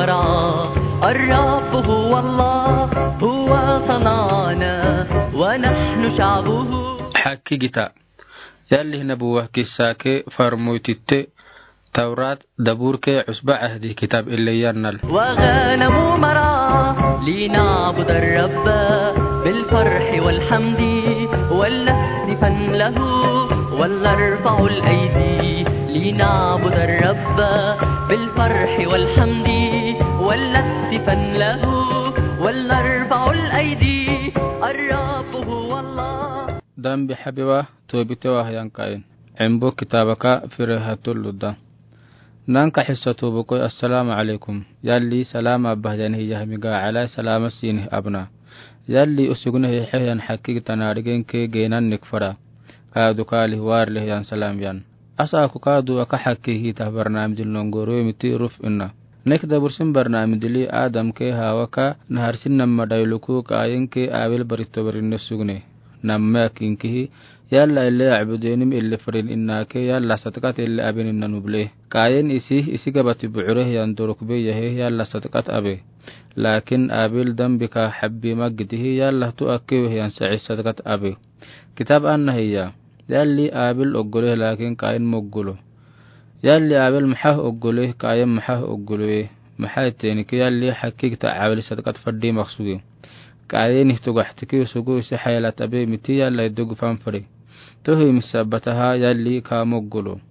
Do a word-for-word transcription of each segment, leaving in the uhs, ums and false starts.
الرب هو الله، هو صنعنا ونحن شعبه. Hakkigita. Yalli nabuwa kissa ke farmoy titte, Tawrat, Dabur ke, Usba Ahdi kitab ille yannal. وغنم مرعى لنعبد الرب بالفرح والحمد ولنهتفن له ولنرفع الأيدي لنعبد الرب بالفرح والحمد ولنهتفن له ولنرفع الأيدي الرب هو الله. Dambi habewa, toobitewa ha yan Kayin. Embo kitaabaka fere hatollu da. Nanka hissa toobo koy, assalaamu alaykum. Yalli salaama bahayani hiya hamiga alay salaama siini abna. Yalli usugna hiya hayan hakkigita na rigen ke geenan nik fara. Kaadu kaali waar le hiyan salaam yan. Asa aku kaadu aka hakki hita barnaamijin nongoro miti ruf inna. Nek dabursin barnaamijili Adam ke Hawa ka naharsin namma dayluku Kayin ke Abil barito barinna sugne. Namma kinkihi, yalla ille ya'buduni mi ille farin inna ke, yalla sadaqat ille abin inna nuble. Kayin isi, isi gabati bu'ure hiyan dorok be yahe, yalla sadaqat abe. Lakin Abil dambi ka habbi magdihi, yalla tu akke we hiyan sa'i sadaqat abe. Kitab anna hiya. Yalli Abil oggole, lakin Kayin moggolo. Yalli Abil maha oggole, Kayin maha oggolo we. Maha teni ke yalli hakkigita Abil sadaqat faddi maksugi. Kayin ihtugahtiki usugu isi haylat abe miti yalla idugu fanfari. Tohi misabataha yalli ka moggolo.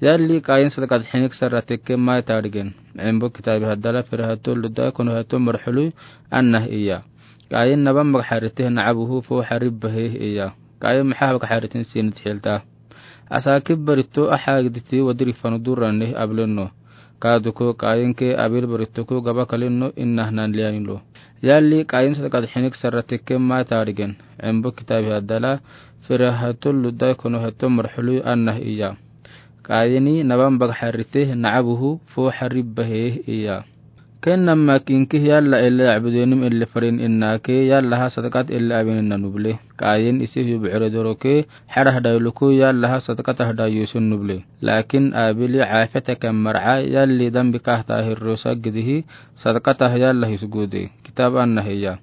Yalli Kayin sadaqat hinik sarra tekke mai tarigen. Embo kitabi haddala fere hatollu da kono hato marhului anna hiya. Kayin nabam magharite na'abuhu fo harib bahe hiya. Kayin maha magharite sinit hilta. Asa kibbarito aha giditi wadiri fanu durranne Abilenno. Kaduko Kayin ke Abil barito ko gaba kalinno inna hnan liyanilo. Yalli Kayin sadaqat hinik sarra tekke mai tarigen. Embo kitabi haddala fere hatollu da kono hato marhului anna hiya. Kayini nabam magharite na'abuhu fo harib bahe hiya. Ken namma kinki yalla ille ya'buduni mi ille farin inna ke yalla ha sadaqat ille abin inna nuble. Kayin isi yu bu'ure doroke harah dayluku yalla ha sadaqat ah dayusun nuble. Lakin Abili afiyata ka mar'a yalli dambi kahta hirro sagdihi sadaqat ah yalla hisgude. Kitab anna hiya.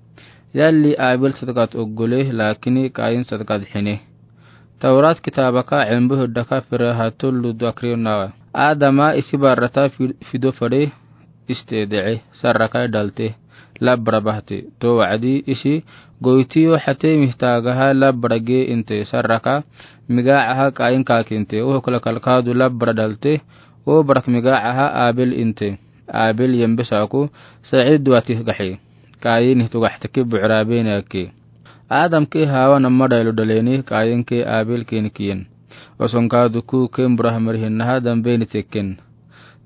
Yalli Abil sadaqat oggole lakini Kayin sadaqat hine. Tawrat kitabaka embo hiddaka fere hatollu dakriyo nawa. Adama isi barrata fi-, fido fare iste de'e, sarraka dhalte, labbara bahte. To wa'adi isi goytiyo hate mihtagaha labbara ge inte sarraka, migacaha Kayin kakinte, o kala kalkadu labbara dhalte, o barak migacaha Abil inte. Abil yembe saku, sa'i duwati gahe. Kayin ihtugahtiki bu'ra bene ake. Adam ke Hawa namma daylu dhaleni, Kayin ke Abil ke nikiyen. Oson kadu ku ke mbura hamari hinnaha dambe ni tekken.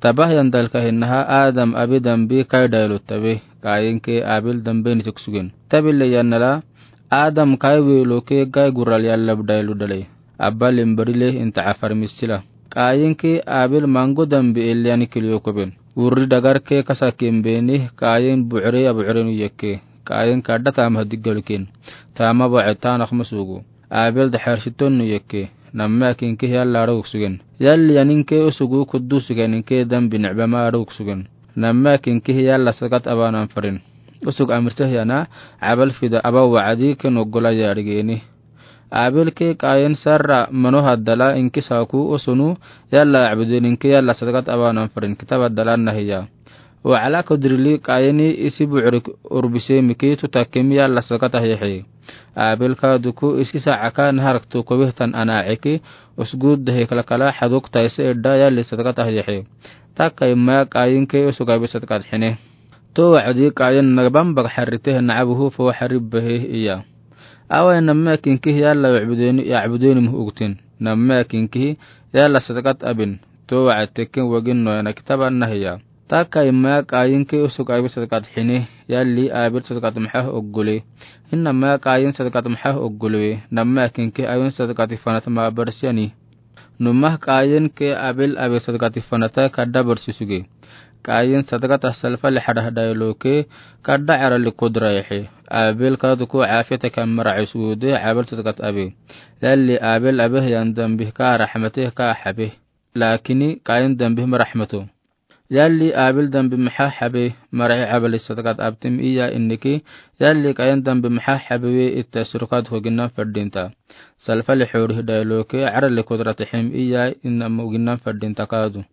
Tabah yan dalka hinnaha Adam abi dambi kai daylu tabe, Kayin ke Abil dambe ni teksugen. Tabile yannala, Adam kai welo ke gai gural yallab daylu dhalei. Abba lembarile inta afar misila. Kayin ke Abil mango dambi elyani kiliyo koben. Urri dagar ke kasakin beni Kayin bu're ya bu're nu yekke. Kayin kadda tama diggalukin. Tama bu'e tanak masugu. Abil daharsiton nu yekke. Namma kinki yalla arugsugen. Yalli yanin ke usugu kuddusugen ke dambi ni'bama arugsugen. Namma kinki yalla sadaqat abanan farin. Usug amirte yana Abal fida aba wa'adi ke noggola yarigeni. Abil ke Kayin sarra mano haddala inki saku usunu yalla abudin inki yalla sadaqat abanan farin kitab haddala anna hiya. Wa'ala kudrili Kayini isi bu'rik urbise miki tutakimi yalla sadaqat ah yehe. Abil kaduku isi sa'aka naharak tuku wehtan ana eki usgud dehe kalakala haduk taise edda yalli sadaqat ah yehe. Takka imma Kayin ke usug Abil sadaqat hine. To wa'adi Kayin nabam magharite na'abuhu fo harib bahe iya. Awa namma kinki yalla ya'buduni, ya'buduni muh ugtin. Namma kinki yalla sadaqat abin. To wa'ad tekken wagin no yana kitab anna hiya. Takka imma Kayin ke usug Abil sadaqat hine, yalli Abil sadaqat maha oggole. Innama Kayin sadaqat maha oggole we, namma kinki Abil sadaqat fanat ma barsiyani. Numah Kayin ke Abil abi sadaqat fanata kadda barsisuge. Kayin sadaqat ah salfa li hadah daylo ke kadda arali kudra yehe. Abil kaduku afiyata ka mar'a isude Abil sadaqat abi. Yalli Abil abi yan dambi ka rahmate ka habe. Lakini Kayin dambi ma rahmato. Yalli Abil dambi maha habe marahe abali sadaqat abtimi iya iniki, yalli Qayin dambi maha habe we ittassiro kaduko ginan fardinta. Salfali hori dailoke arali kudratihim iya inamo ginan fardinta kadu.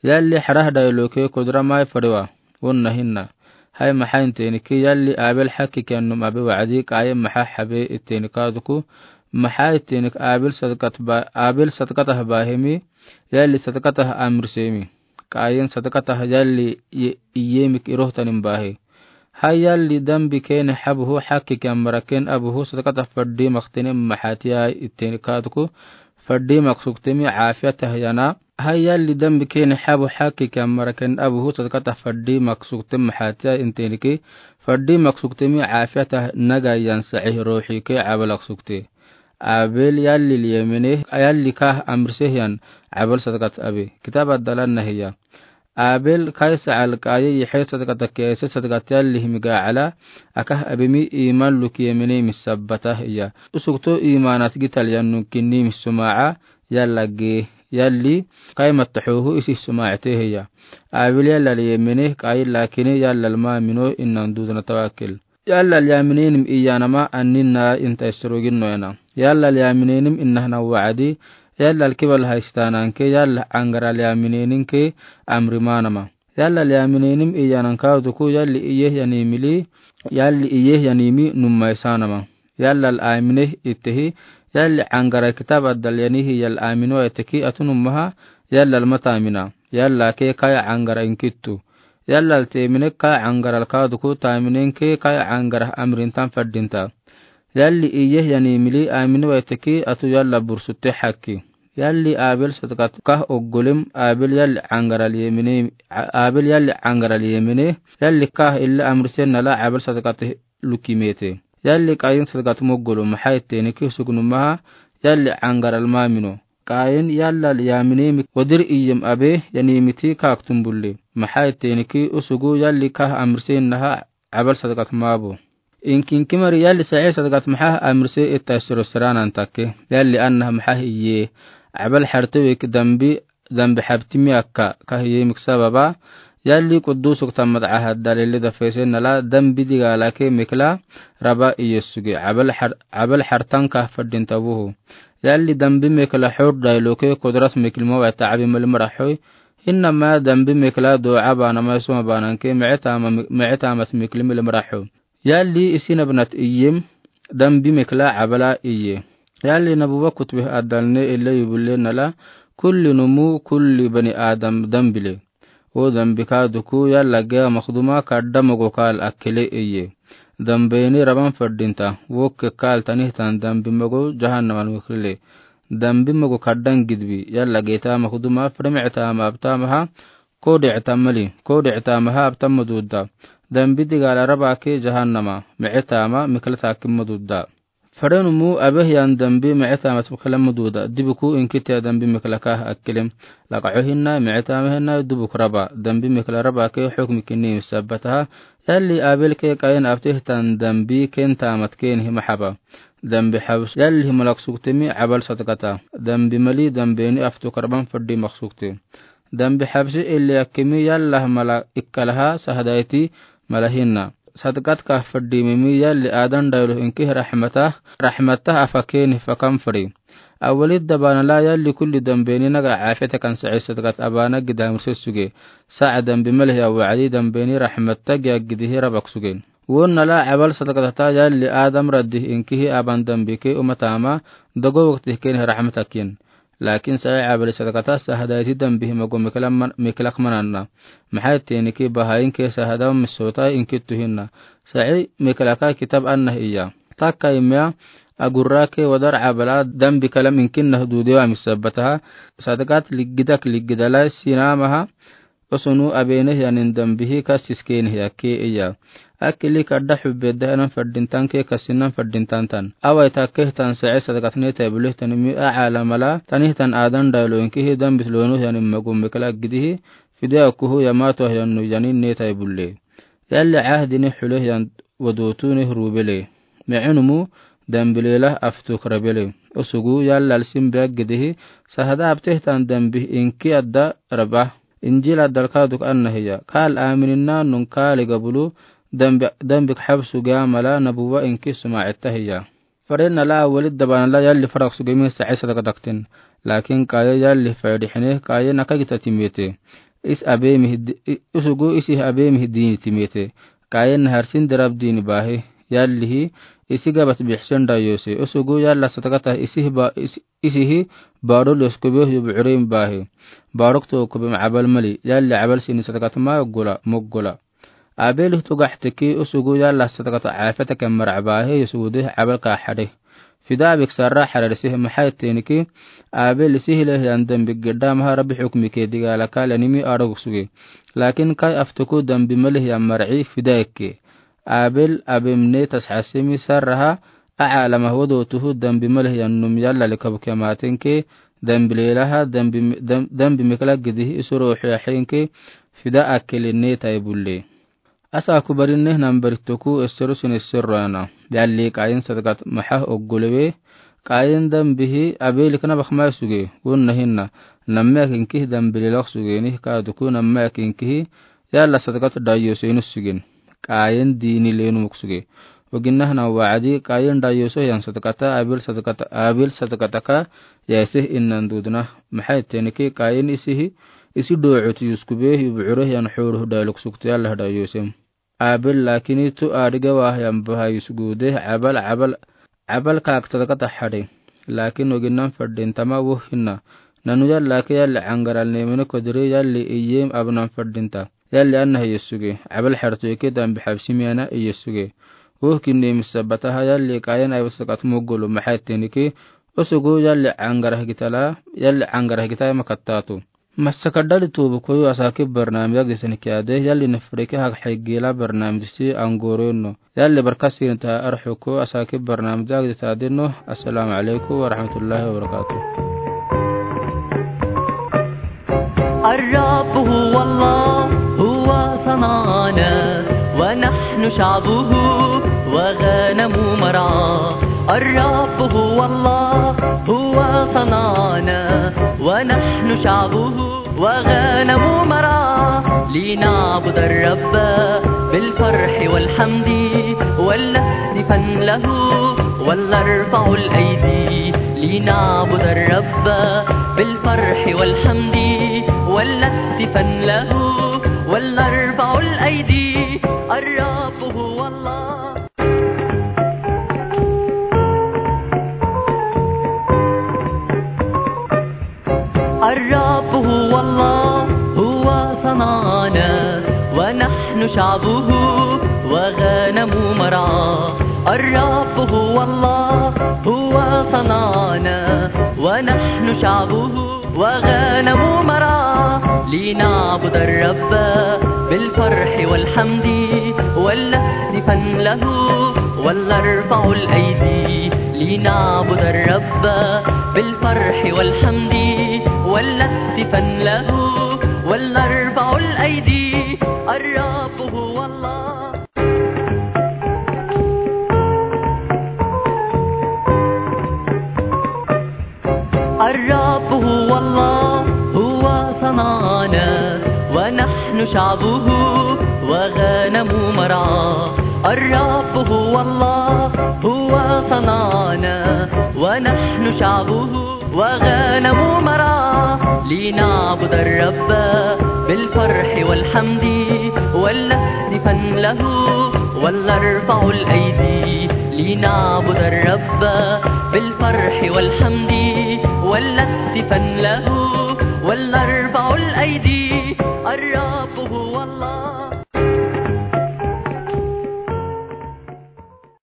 Yalli harah dailoke kudra mai fariwa, wonna hinna. Hai maha intiniki yalli Abil haki kiyanum abi wa'adi Qayin maha habe itini kaduku, maha itinik Abil sadaqat ba, Abil sadaqatah bahimi, yalli sadaqatah amrisemi. Qayin sadaqatah yalli i-, iyemik irohtanim bahi. Hai yalli dambi kene habuhu haki kiyan maraken abuhu sadaqatah fardi maktini maha tiya itini kaduku, fardi maksuktimi afiyatah yana. Hai yalli dambi kene habu haki kiyan maraken abuhu sadaqatah fardi maksuktimi maha tiya intiniki, fardi maksuktimi afiyatah naga yan sa'ih ruhi ke abal aksukti. Abil yalli liyemene, yalli kah amriseh yan abal sadaqat abi. Kitab addalan nahiya. Abil kaisa alkaye yihe sadaqat akese sadaqat yalli himiga ala, akah abimi iman luk yemene misabbatah iya. Usukto imanat gital yannun kinni misuma'a, yalla ge, yalli, kaimat tahuhu isi suma'ate hiya. Abil yalla liyemene, Qayin lakini yalla lma mino innan dudna tawakil. Yalla lyamineenim iyanama anninna inta isroginno ena. Yalla lyamineenim innahna wa'adi, yalla lkibal haistananke, yalla angara lyamineeninke amrimanama. Yalla lyamineenim iyanan kaduku, yalli iyeh yanimili, yalli iyeh yanimi nummaisanama. Yalla lamineh itehi, yalli angara kitab addal yanihi yalla amino eteki atunummaha, yalla lma tamina. Yalla ke kaya angara inkittu. Yalla ltemine kaya angara lkaduku taminenke kaya angara amrintan fardinta. Yalli iyeh yanimili amini waiteki atu yalla bursutte haki. Yalli Abil sadaqat kah oggolim Abil yalli angara liyemine, Abil yalli angara liyemine, yalli kah illa amrisen nala Abil sadaqat lukimete. Yalli Qayin sadaqat moggolum maha itteniki sugnummaha, yalli angara lma mino. Qayin yalla lyaminemi wadir iyem abe yanimiti kaktum bulle. Maha itteniki usugu yalli kah amrisen naha abal sadaqat mabo. Inkinki mari yalli sa'i sadaqat maha amrise itta siro siranan takke. Yalli annaha maha iye. Abal hartewek dambi, dambi habtimi akka kah iyemik sababa. Yalli quddusuk tammat ahad dalili dafesen nala dambi digalake mikla raba iyesuge. Abal har-, abal hartan kah fardinta buhu. Yalli dambi mikla hur dailoke kudrat miklima wa ta'abi mali marahoy. Innama dambi mikla du'a banama isuma bananke mi'itama, mi'itamat miklimi li marahoy. Yalli isi nabnat iyem dambi mikla abala iye. Yalli nabuwa kutbih adalne ille yubulle nala kulli numu kulli bani Adam dambile. O dambi kaduku yalla gea makduma kadda mogo kal akkele iye. Dambeni raban fardinta, wokke kal tanihtan dambi mogo jahannaman wekrile. Dambi mogo kaddan gidbi, yalla geta makduma fre mi'itama abtamaha, kode itamali, kode itamaha abtama dudda. Dambi digala raba ke jahannama, mi'itama mikla takimma dudda. Farenumu abeh yan dambi mi'itama tibkala mududa, dibuku inkitiya dambi miklaka akkelem. Laka ohinna, mi'itama hinna, dubuk raba, dambi mikla raba ke hukmi kinni sabataha, yalli Abil ke Qayin abtihtan dambi ken tamat ken hima haba. Dambi habs yalli hima laksuktimi abal sadaqata. Dambi mali dambeni aftu karban faddi maksukti. Dambi habsi illi akkimi yalla mala ikkalaha sahadaiti mala hinna. Sadaqat kah faddi mimi yalli adan daylo inki rahmatah, rahmatah afakeni fakan fari. Awalid dabana la yalli kulli dambeni naga afeta kan sa'i sadaqat abana gidamrse suge. Sa'a dambi malhi awa'adi dambeni rahmatah giya gidihi rabak suge. Wonna la abal sadaqatata yalli adam raddi inkihi aban dambi ke umatama dogo wakti keni rahmatakin. Lakin sa'i abali sadaqata sahadaiti dambihi mago miklak mananna. Maha itteniki bahain ke sahada misota inkittu hinna. Sa'i miklaka kitab annah iya. Takka imya agurra ke wadar abala dambi kalam inkinna hududewa misabataha. Sadaqat liggidak liggidala sinamaha. Osunu abeneh yanin dambihi kasis keneh yakke iya. Akili kadda hubbe dahanan fardintan ke kasinan fardintan tan. Awai takkeh tan sa'i sadaqat ne taibuleh tanimi a'ala mala tanihtan adan daylo inkihi dambis lonuh yanin magum mikla gidihi fide akuhu yamato yannu yanin ne taibulle. Yalli ahdini huleh yan wadutuneh rubele. Me'enumu dambilelah aftuk rabele. Osugu yalla alsim beg gidihi sahada abteh tan dambih inki adda rabah. Injil adal ka duk anna hiya. Kaal aamini naanun kaaliga bulu, dambi, dambik habsu ge amala nabuwa inki suma etta hiya. Faren na la awali dabana la yalli farak suge mi sa'i sadaka daktin. Lakin Kaayin yalli faydi hine, Kaayin na ka gita timete. Is abe mi hidi, i-, usugu isi abe mi hidi timete. Kaayin na harsin darab dini bahe. Yalli hi, isi gabat bihsen dayose. Usugu yalla sadaka ta isi hi ba, isi, isi hi, barul yoskube yu bu'urim bahe. Baruk to kube ma abal mali. Yalli abal sini sadaka ta ma gula, mugula. Abel tugax teki usugu yalla sadaka ta afeta ke mara bahe yusude abal ka hade. Fida bik sarra hade sih mahai teniki. Abel sih leh yan dambi gida maha Rabbi hukmi ke diga la kala nimi arog suge. Lakin Kaayin aftuku dambi malih yan mar'i fida ke. Abel abem ne tas hasimi sarraha a alama wodo tuhu dambi malih yan num yalla le kabu ke maten ke. Dambi lelaha, dambi, dam-, dambi mekla gidi isuro huya henke fida akele ne tai bulle. Asa kubarin ne nambar toku esseru sin esseru ana. Yalli Kaayin sadaka ta maha oggulewe. Kaayin dambi hi Abel kana bakma suge. Wunna hinna. Namme akinki dambi lelak suge ni ka duku namme akinki hi. Yalla sadaka ta dayose nu sugen. Kaayin dini lenu muk suge. Oginna hana wa'adi Kaayin dayose yan sadaka ta Abel sadaka ta Abel sadaka ta ka ya isih innan dudna. Mahai teniki Kaayin isi hi. Isi do'ut yuskube yu bu'ure yan huru daluk sukti Allah dayosem. Abel lakini tu adiga wah yan baha yusgude abal, abal, abal kak sadaka ta hade. Lakin oginnan fadin tama wuh hinna. Nanu yalla ke yalli angaral ne mene kodiri yalli iyem abnan fadin ta. Yalli anna hi yusuge. Abal hartu ike dambi habsi miana i yusuge. Wuh kinni misabata ha yalli Kaayin abal sadaka ta mugulu mahai teniki. Usugu yalli angarah gitala, yalli angarah gitala makattatu. Masa kadali tubu koyu asaki barnamij ag disan kiade, yalli nafreke hak higila barnamij si angoro no. Yalli barkasi nta arhuko asaki barnamij ag ditade no. Assalamu alaikum wa rahmatullahi wa barakatuh. الرب هو الله، هو صنعنا، ونحن شعبه وغنم مرعاه. الرب هو الله، هو صنعنا، ونحن شعبه وغنم مرعاه. لنعبد الرب بالفرح والحمد، ولنهتفن له، ولنرفع الأيدي. لنعبد الرب بالفرح والحمد، ولنهتفن له، ولنرفع الأيدي. الرب هو الله. الرب هو الله، هو صنعنا، ونحن شعبه وغنم مرعاه. الرب هو الله، هو صنعنا، ونحن شعبه وغنم مرعاه. لنعبد الرب بالفرح والحمد، ولنهتفن له، ولنرفع الأيدي. لنعبد الرب بالفرح والحمد، ولنهتفن له، ولنرفع الأيدي. الرب هو الله. الرب هو الله، هو صنعنا، ونحن شعبه وغنم مرعاه. الرب هو الله، هو صنعنا، ونحن شعبه وغنم مرعاه. لنعبد الرب بالفرح والحمد، ولنهتفن له، ولنرفع الأيدي. لنعبد الرب بالفرح والحمد، ولنهتفن له، ولنرفع الأيدي. الرب